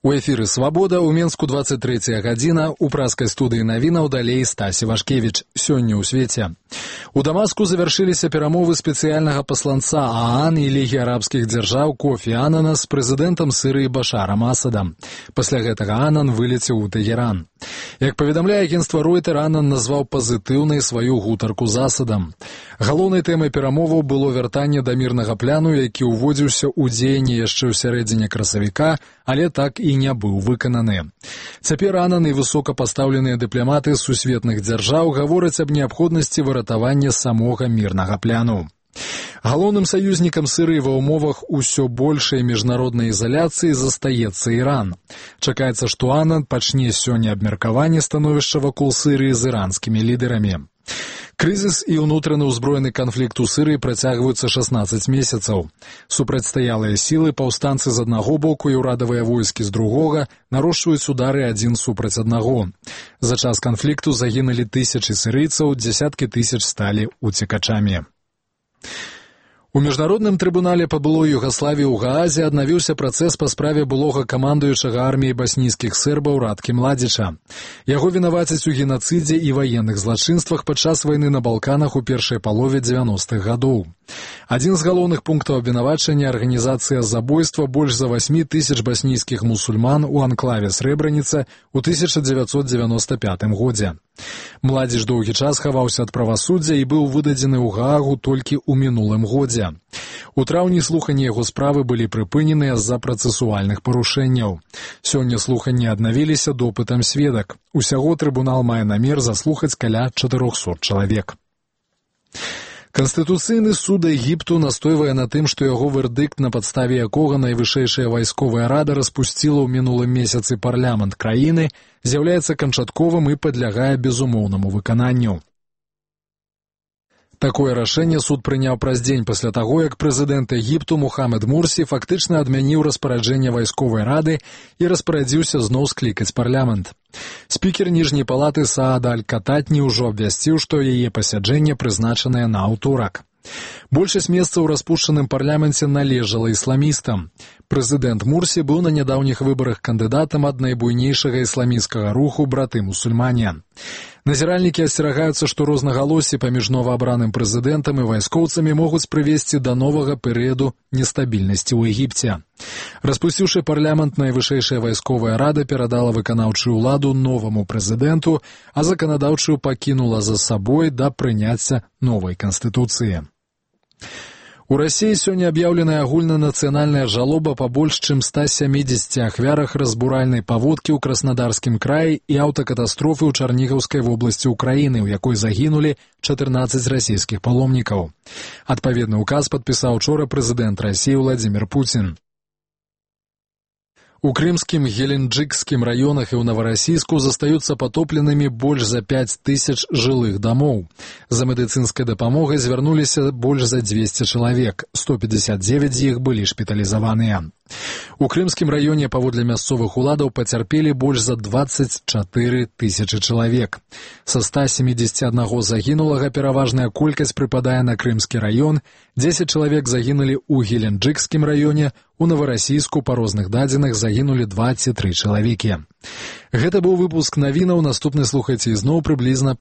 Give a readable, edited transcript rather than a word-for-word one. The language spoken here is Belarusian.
У эфіры «Свабода», у Менску 23 гадзіна, у праскай студыі навінаў далей Стасі Вашкевіч. Сёння ў свеце. У Дамаску завяршыліся перамовы спецыяльнага пасланца ААН і Лігі арабскіх дзяржаў Кофі Анана з прэзідэнтам Сірыі Башарам Асадам. Пасля гэтага Анан вылецеў у Тэгеран. Як паведамляе агенцтва Ройтер, Анан назваў пазітыўнай сваю гутарку з Асадам. Галоўнай тэмай перамоваў было вяртанне да мірнага пляну, які ўводзіўся ў дзеянне яшчэ ў сярэдзіне красавіка, але так і не быў выкананы. Цяпер Анан і высокапастаўленыя дыпламаты сусветных дзяржаў гавораць аб неабходнасці выратавання самога мірнага пляну. Галоўным саюзнікам Сірыі ва ўмовах усё большай міжнароднай ізаляцыі застаецца Іран. Чакаецца, што Анан пачне сёння абмеркаванне становішча вакол Сірыі з іранскімі лідарамі. Крызіс і ўнутраны ўзброены канфлікт у Сірыі працягваюцца 16 месяцаў. Супрацьстаялыя сілы, паўстанцы з аднаго боку і ўрадавыя войскі з другога нарошчваюць удары адзін супраць аднаго. За час канфлікту загінулі тысячы сірыйцаў, дзесяткі тысяч сталі уцекачамі. У міжнародным трыбунале па былой Югаславіі ў Гаазе аднавіўся працэс па справе былога камандуючага арміяй баснійскіх сербаў Радкі Младзіча. Яго вінавацяць у генацыдзе і ваенных злачынствах падчас вайны на Балканах у першай палове 90-х гадоў. Адзін з галоўных пунктаў абвінавачання — арганізацыя забойства больш за 8 тысяч баснійскіх мусульман у анклаве Срэбраніца ў 1995 годзе. Младзіч доўгі час хаваўся ад правасуддзя і быў выдадзены ў Гаагу толькі ў мінулым годзе. У траўні слуханні яго справы былі прыпыненыя з-за працэсуальных парушэнняў. Сёння слуханні аднавіліся допытам сведак. Усяго трыбунал мае намер заслухаць каля 400 чалавек. Канстытуцыйны суд Егіпту настойвае на тым, што яго вердыкт, на падставе якога найвышэйшая вайсковая рада распусціла ў мінулым месяцы парламент краіны, з'яўляецца канчатковым і падлягае безумоўнаму выкананню. Такое рашэнне суд прыняў праз дзень пасля таго, як прэзідэнт Егіпту Мухаммед Мурсі фактычна адмяніў распараджэнне вайсковай рады і распарадзіўся зноў склікаць парламент. Спікер ніжняй палаты Саад Аль-Кататні ўжо абвясціў, што яе пасяджэнне прызначанае на аўторак. Большасць месцаў у распушчаным парламенце належала ісламістам. Прэзідэнт Мурсі быў на нядаўніх выбарах кандыдатам ад найбуйнейшага ісламісцкага руху «Браты-мусульмане». Назіральнікі асцерагаюцца, што рознагалоссі паміж новаабраным прэзідэнтам і вайскоўцамі могуць прывесці да новага перыяду нестабільнасці ў Егіпце. Распусціўшы парламент, найвышэйшая вайсковая рада перадала выканаўчую ўладу новаму прэзідэнту, а заканадаўчую пакінула за сабой да прыняцця новай канстытуцыі. У Расіі сёння аб'яўленая агульнанацыянальная жалоба па больш чым 170 ахвярах разбуральнай паводкі ў Краснодарскім краі і аўтакатастрофы ў Чарнігаўскай вобласці ўкраіны, у якой загінулі 14 расійскіх паломнікаў. Адпаведны ўказ падпісаў учора прэзідэнт Расіі Владзімір Пуцін. У крымскім, геленджыкскім раёнах і ў Наварасійску застаюцца патопленымі больш за 5 тысяч жылых дамоў. За медыцынскай дапамогай звярнуліся больш за 200 чалавек, 159 з іх былі шпіталізаваныя. У крымскім раёне, паводле мясцовых уладаў, пацярпелі больш за 24 тысячы чалавек. Са 171 загінулага пераважная колькасць прыпадае на крымскі раён, 10 чалавек загінулі ў геленджыкскім раёне, у Наварасійску па розных дадзеных загінулі 23 чалавекі. Гэта быў выпуск навінаў, наступны слухайце ізноў прыблізна